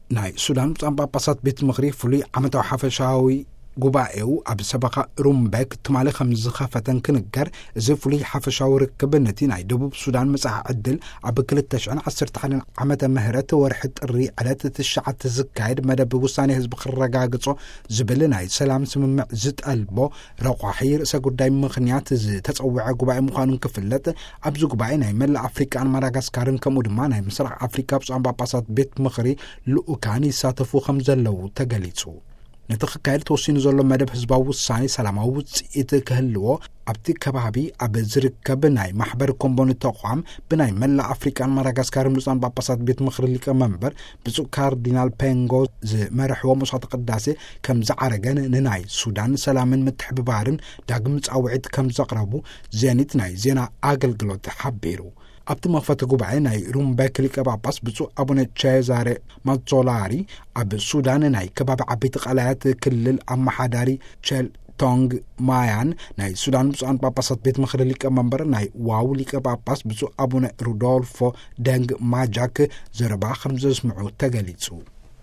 ናይ ሱዳን ብፁዓን ጳጳሳት ቤት ምኽሪ ፍሉይ ዓመታዊ ሓፈሻዊ ጉባኤኡ ኣብ ሰበኻ ሩምበክ ትማሊ ከም ዝኸፈተን ክንገር፣ እዚ ፍሉይ ሓፈሻዊ ርክብ ነቲ ናይ ደቡብ ሱዳን መጻኢ ዕድል ኣብ ክልተ ሽሕን ዓሰርተ ሓደን ዓመተ ምህረት ወርሒ ጥሪ ዕለት ትሽዓተ ዝካየድ መደብ ውሳኔ ህዝቢ ክረጋግጾ ዝብል ናይ ሰላም ስምምዕ ዝጠልቦ ረቋሒ ርእሰ ጉዳይ ምኽንያት ዝተጸውዐ ጉባኤ ምዃኑን ክፍለጥ፣ ኣብዚ ጉባኤ ናይ መላእ ኣፍሪቃን ማዳጋስካርን ከምኡ ድማ ናይ ምስራቕ ኣፍሪቃ ብፁዓን ጳጳሳት ቤት ምኽሪ ልኡካን ይሳተፉ ከም ዘለዉ ተገሊጹ። ነቲ ክካየድ ተወሲኑ ዘሎ መደብ ህዝባዊ ውሳኔ ሰላማዊ ውጽኢት ክህልዎ ኣብቲ ከባቢ ኣብ ዝርከብ ናይ ማሕበር ኮምቦኒ ተቋም ብናይ መላእ ኣፍሪቃን ማዳጋስካርን ብፁዓን ጳጳሳት ቤት ምኽሪ ሊቀመንበር ብፁዕ ካርዲናል ፔንጎ ዝመርሕዎ መስዋዕተ ቅዳሴ ከም ዝዓረገን ንናይ ሱዳን ሰላምን ምትሕብባርን ዳግም ጻውዒት ከም ዘቕረቡ ዜኒት ናይ ዜና ኣገልግሎት ሓቢሩ። ኣብቲ መኽፈቲ ጉባኤ ናይ ሩምበክ ሊቀ ጳጳስ ብፁዕ ኣቡነ ቼዛሬ ማዞላሪ፣ ኣብ ሱዳን ናይ ከባቢ ዓበይቲ ቀላያት ክልል ኣመሓዳሪ ቸል ቶንግ ማያን፣ ናይ ሱዳን ብፁዓን ጳጳሳት ቤት ምኽሪ ሊቀ መንበር ናይ ዋው ሊቀ ጳጳስ ብፁዕ ኣቡነ ሩዶልፎ ደንግ ማጃክ ዘረባ ከም ዘስምዑ ተገሊጹ።